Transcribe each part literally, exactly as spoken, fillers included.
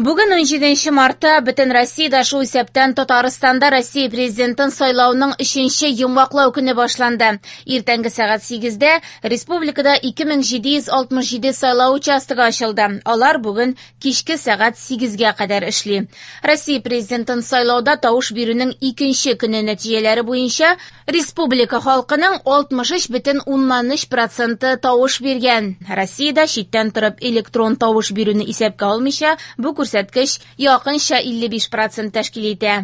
Бүген унҗиденче мартта бөтен Россиядә, шул исәптән Татарстанда Россия президентын сайлауның өченче йомгаклау көне башланды. Иртәнге сәгать сигездә республикада ике мең җиде йөз алтмыш җиде сайлау участогы ачылды. Алар бүген кичке сәгать сигезгә кадәр эшли. Россия президентын сайлауда тавыш бирүнең икенче көне нәтиҗәләре буенча республика халкының алтмыш өч бөтен уннан өч проценты тавыш биргән. Россиядә читтән торып электрон тавыш бирүне исәпкә алмыйча, бу күрсәткеч якынча илле биш процент тәшкил итә.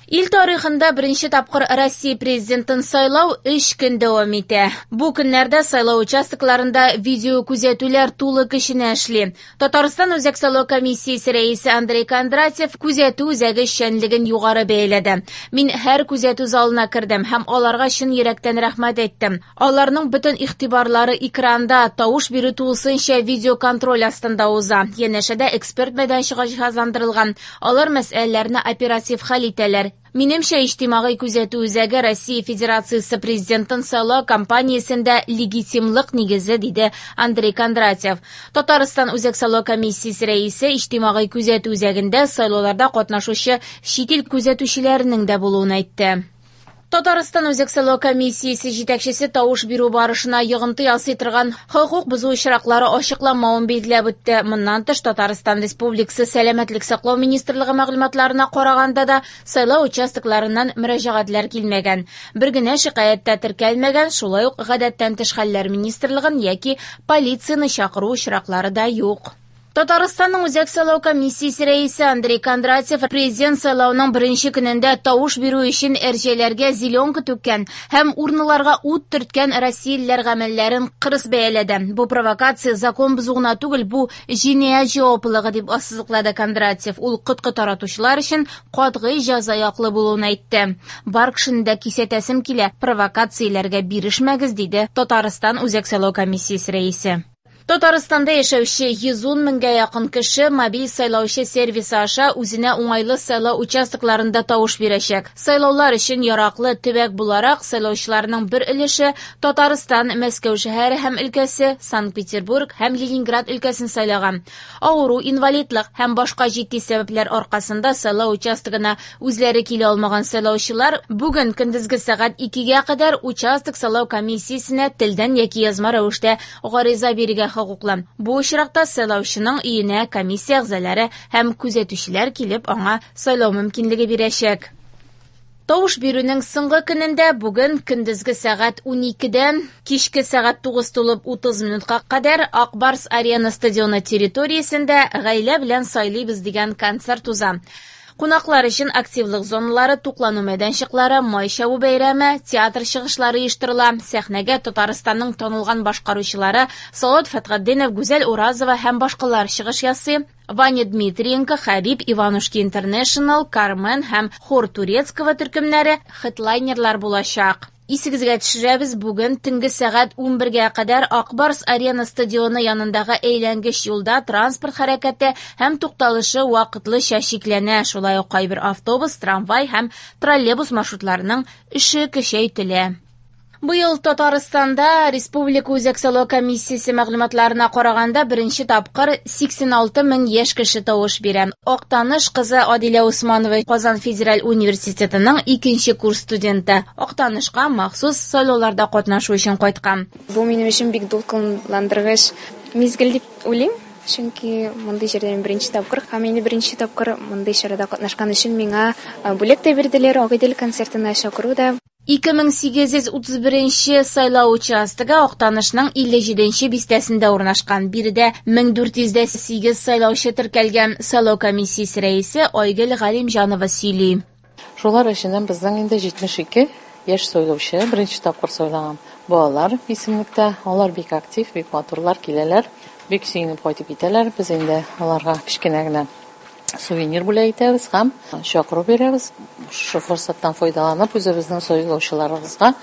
Ил тарихында беренче тапкыр Россия президентын сайлау өч көн дәвам итә. Бу көннәрдә сайлау участокларында видео күзәтүләр тулы көченә эшли. Татарстан Үзәк сайлау комиссиясе рәисе Андрей Кондратьев күзәтү үзәге эшчәнлеген югары бәяләде. Мин һәр күзәтү залына кердем һәм аларга чын йөрәктән рәхмәт әйттем. Аларның бөтен игътибарлары экранда, тавыш бирү тулысынча видеоконтроль астында уза. Янәшәдә эксперт мәйданчыгы җиһазландырылган. Алар мәсьәләләрне оператив хәл итәләр. Минемчә, иҗтимагый күзәтү үзәге Россия Федерациясе президентын сайлау кампаниясендә легитимлык нигезе, диде Андрей Кондратьев. Татарстан Үзәк сайлау комиссиясе рәисе иҗтимагый күзәтү үзәгендә сайлауларда катнашучы чит ил күзәтүчеләренең дә булуын әйтте. Татарстан Үзәк сайлау комиссиясе җитәкчесе тавыш бирү барышына йогынты ясый торган хокук бозу очраклары ачыкланмавын билгеләп үтте. Моннан тыш, Татарстан Республикасы Сәламәтлек саклау министрлыгы мәгълүматларына караганда да сайлау участокларыннан мөрәҗәгатьләр килмәгән. Бер генә шикаять тә теркәлмәгән, шулай ук Гадәттән тыш хәлләр министрлыгын яки полицияне чакыру очраклары да юк. Татарстанның Үзәк сайлау комиссиясе рәисе Андрей Кондратьев президент сайлауның беренче көнендә тавыш бирү өчен әрҗәләргә зеленка түккән һәм урналарга ут төрткән россиялеләр гамәлләрен кырыс бәяләде. Бу провокация закон бозу гына түгел, бу җинаять җаваплылыгы дип ассызыклады Кондратьев. Ул коткы таратучылар өчен катгый җәза яклы булуын әйтте. Бар кешене дә кисәтәсем килә, провокацияләргә бирешмәгез, диде Татарстан Үзәк сайлау комиссиясе рәисе. Татарстанда яшәүче йөз ун меңгә якын кеше мобиль сайлаучы сервисы аша үзенә уңайлы сайлау участокларында тавыш бирәчәк. Сайлаулар өчен яраклы төбәк буларак сайлаучыларның бер өлеше Татарстан, Мәскәү шәһәре һәм өлкәсе, Санкт-Петербург һәм Ленинград өлкәсен сайлаган. Авыру, инвалидлык һәм башка җитди сәбәпләр аркасында сайлау участогына үзләре килә алмаган сайлаучылар бүген көндезге сәгать икегә кадәр участок сайлау комиссиясенә телдән яки язма рәвештә гариза бирергә хокуклы. Бу очракта сайлаучының өенә комиссия әгъзалары һәм күзәтүчеләр килеп аңа сайлау мөмкинлеге бирәчәк. Тавыш бирүнең соңгы көнендә бүген көндезге сәгать уникедән кичке сәгать тугыз тулып утыз минутка кадәр Ак Барс Арена стадионы территориясендә гаилә белән сайлыйбыз дигән концерт уза. Кунаклар өчен активлык зоналары, туклану мәйданчыклары, май чабу бәйрәме, театр чыгышлары оештырыла. Сәхнәгә Татарстанның танылган башкаручылары Салават Фәтхетдинов, Гүзәл Уразова һәм башкалар чыгыш ясый. Ваня Дмитриенко, Хабиб, Иванушки Интернешнл, Кармен һәм Хор Турецкого төркемнәре хедлайнерлар булачак. Исегезгә төшерәбез, бүген төнге сәгать унбергә кадәр Ак Барс Арена стадионы янындагы әйләнгеч юлда транспорт хәрәкәте һәм тукталышы вакытлыча чикләнә. Шулай ук кайбер автобус, трамвай һәм троллейбус маршрутларының эше көчәйтелә. Быел Татарстанда Республика Үзәк сайлау комиссиясе мәгълүматларына караганда беренче тапкыр сиксән алты мең яшь кеше тавыш бирә. Актаныш кызы Адилә Усманова Казан федераль университетының икенче курс студенты. Актанышка махсус сайлауларда катнашу өчен кайткан. Бу минем өчен бик дулкынландыргыч мизгел дип уйлыйм. Чөнки мондый җирдә мин беренче тапкыр һәм инде беренче тапкыр мондый чарада катнашкан өчен миңа бүләк тә бирделәр, Агыйдел концертына чакыру да. Ике мең сигез йөз утыз беренче сайлау участогы Актанышның илле җиденче бистәсендә урнашкан. Биредә мең дүрт йөз дә сигез сайлаучы теркәлгән. Сайлау комиссиясе рәисе Айгөл Галимҗанова сөйли. Шулар эченнән безнең инде җитмеш ике яшь сайлаучы беренче тапкыр сайлаган балалар исемлектә. Алар бик актив, бик матурлар киләләр, бик сөенеп кайтып китәләр. Без инде аларга кечкенә генә сувенир бүләк итәбез һәм чакыру бирәбез. Шушы форсаттан файдаланып, үзебезнең сайлаучыларыбызга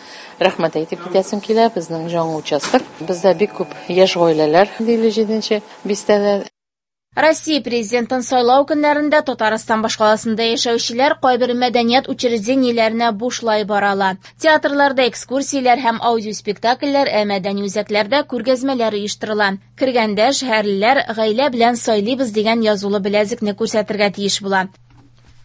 рәхмәт әйтеп китәсем килә. Безнең жаңы участок. Бездә бик күп яшь гаиләләр илле җиденче бистәдә. Россия президентын сайлау көннәрендә Татарстан башкаласында яшәүчеләр кайбер мәдәният учреждениеләренә бушлай бара ала. Театрларда экскурсияләр һәм аудиоспектакльләр, ә мәдәни үзәкләрдә күргәзмәләр оештырыла. Кергәндә шәһәрлеләр «Гаилә белән сайлыйбыз» дигән язулы беләзекне күрсәтергә тиеш була.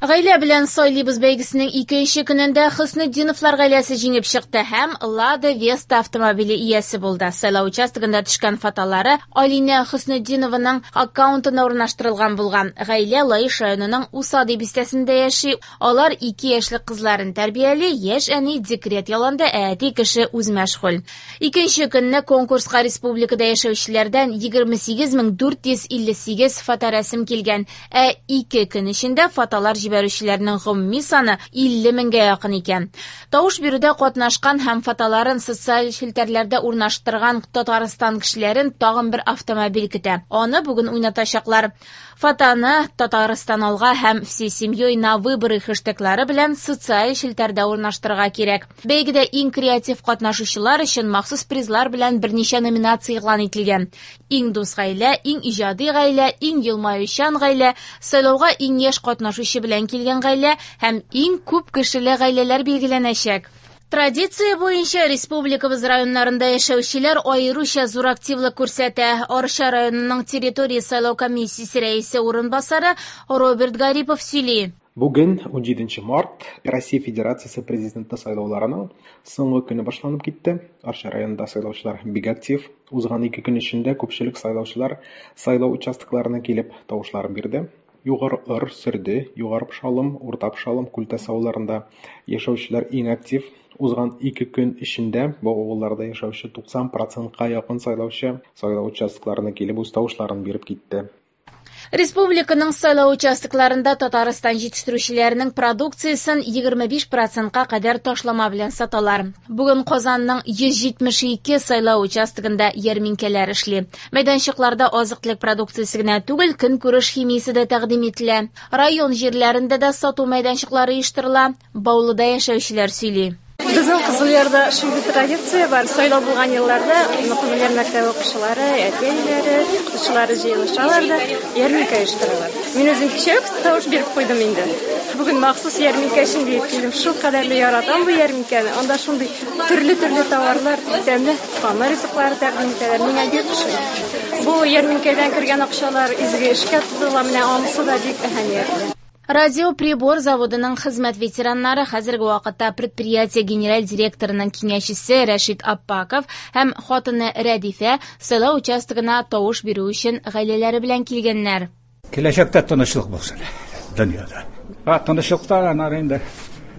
Гаилә белән сайлыйбыз бәйгесенең икенче көнендә Хөснетдиновлар гаиләсе җиңеп чыкты һәм Лада Веста автомобиле иясе булды. Сайлау участогында төшкән фотолары Алинә Хөснетдинованың аккаунтына урнаштырылган булган. Гаилә Лаеш районының Усады бистәсендә яши. Алар ике яшьлек кызларын тәрбияли, яшь әни декрет ялында, ә әти кеше үзмәшгуль. Икенче көнне конкурска республикада яшәүчеләрдән егерме сигез мең дүрт йөз илле сигез фоторәсем килгән, ә ике көн эчендә фотолар җибәрүчеләрнең гомуми саны илле меңгә якын икән. Тавыш бирүдә катнашкан һәм фотоларын социаль челтәрләрдә урнаштырган Татарстан кешеләрен тагын бер автомобиль көтә. Аны бүген уйнатачаклар. Фотоны Татарстан алга һәм всей семьей на выборы хэштеглары белән социаль челтәрдә урнаштырырга кирәк. Бәйгедә иң креатив катнашучылар өчен махсус призлар белән берничә номинация игълан ителгән. Иң дус гаилә, иң иҗади гаилә, иң елмаючан гаилә, сайлауга иң яшь катнашучы белән килгән гаилә һәм иң күп кешеле гаиләләр билгеләнәчәк. Традиция буенча республикабыз районнарында яшәүчеләр аеруча зур активлык күрсәтә. Арча районының территория сайлау комиссиясе рәисе урынбасары Роберт Гарипов сөйли. Бүген унҗиденче март Россия Федерациясе президенты сайлауларының соңгы көне башланып китте. Арча районында сайлаучылар бик актив. Узган ике көн эчендә күпчелек сайлаучылар сайлау участокларына килеп тавышларын бирде. Югары Ор, Сөрде, Югары Пшалым, Урта Пшалым, Күлтәс авылларында яшәүчеләр иң актив. Узган ике көн эчендә бу авылларда яшәүче туксан процентка якын сайлаучы сайлау участокларына килеп үз тавышларын биреп китте. Республиканың сайлау участокларында Татарстан җитештерүчеләренең продукциясен егерме биш процентка кадәр ташлама белән саталар. Бүген Казанның йөз җитмеш ике сайлау участогында ярминкәләр эшли. Мәйданчыкларда азык-төлек продукциясе генә түгел, көнкүреш химиясе дә тәкъдим ителә. Район җирләрендә дә сату мәйданчыклары оештырыла. Баулыда яшәүчеләр сөйли. Безнең Кызылъярда шундый традиция бар. Сайлау булган елларда Кызылъяр мәктәбе укучылары, әти-әниләре, укытучылары җыелышалар да ярминкә оештыралар. Мин үзем кичә үк тавыш биреп куйдым инде. Бүген махсус ярминкә өчен дип килдем. Шул кадәрле яратам бу ярминкәне. Анда шундый төрле-төрле товарлар, тәмле камыр ризыклары тәкъдим итәләр. Миңа бик ошый. Бу ярминкәдән кергән акчалар изге эшкә тотыла, менә анысы да бик әһәмиятле. Радиоприбор заводының хезмәт ветераннары хәзерге вакытта предприятие генераль директорының киңәшчесе Рәшит Аппаков һәм хатыны Рәдифә сайлау участогына тавыш бирү өчен гаиләләре белән килгәннәр. Киләчәктә тынычлык булсын дөньяда. Ха, тынычлыкта анар инде.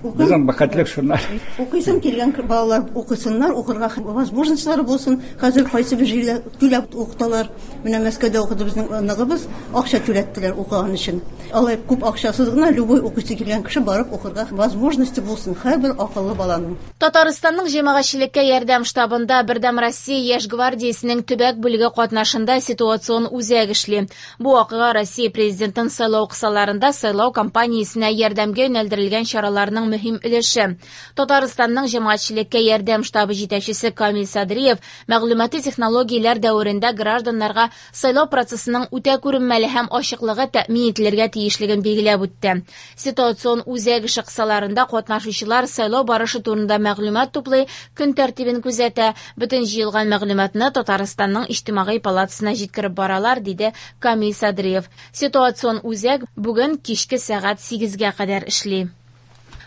Безнең бәхетлек шуннар. Укыйсым килгән балалар укысыннар, укырга возможностьлары булсын. Хәзер кайсы бер җирдә түләп укыталар. Менә Мәскәүдә укыды безнең оныгыбыз, акча түләттеләр укыган өчен. Алай күп акчасыз гына любой укыйсы килгән кеше барып укырга возможности булсын һәрбер акыллы баланың. Татарстанның җәмәгатьчелеккә ярдәм штабында Бердәм Россия яшь гвардиясенең төбәк бүлеге катнашында ситуацион үзәк эшли. Бу вакыйга Россия президентын сайлау кысаларында сайлау кампаниясенә ярдәмгә юнәлдерелгән чараларның мөһим өлеше. Татарстанның җәмәгатьчелеккә ярдәм штабы җитәкчесе Камил Садриев мәгълүмати технологияләр дәверендә гражданнарга сайлау процессының үтә күренмәле һәм ачыклыгы тәэмин ителергә тиешлеген билгеләп үтте. Ситуацион үзәк эше кысаларында катнашучылар сайлау барышы турында мәгълүмат туплый, көн тәртибен күзәтә. Бөтен җыелган мәгълүматны Татарстанның иҗтимагый палатасына җиткереп баралар, диде Камил Садриев. Ситуацион үзәк бүген кичке сәгать сигезгә кадәр эшли.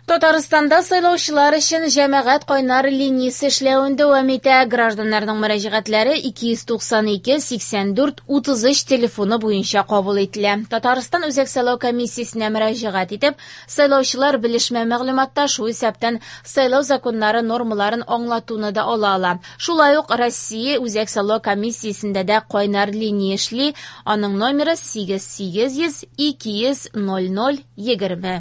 Татарстанда сайлаучылар өчен җәмәгать кайнар линиясе эшләвен дәвам итә. Гражданнарның мөрәҗәгатьләре ике йөз туксан ике сиксән дүрт утыз өч телефоны буенча кабул ителә. Татарстан Үзәк сайлау комиссиясенә мөрәҗәгать итеп, сайлаучылар белешмә мәгълүматта шул исәптән сайлау законнары нормаларын аңлатуны да ала ала. Шулай ук Россия Үзәк сайлау комиссиясендә дә кайнар линия эшли. Аның номеры сигез сигез йөз ике йөз ноль ноль егерме.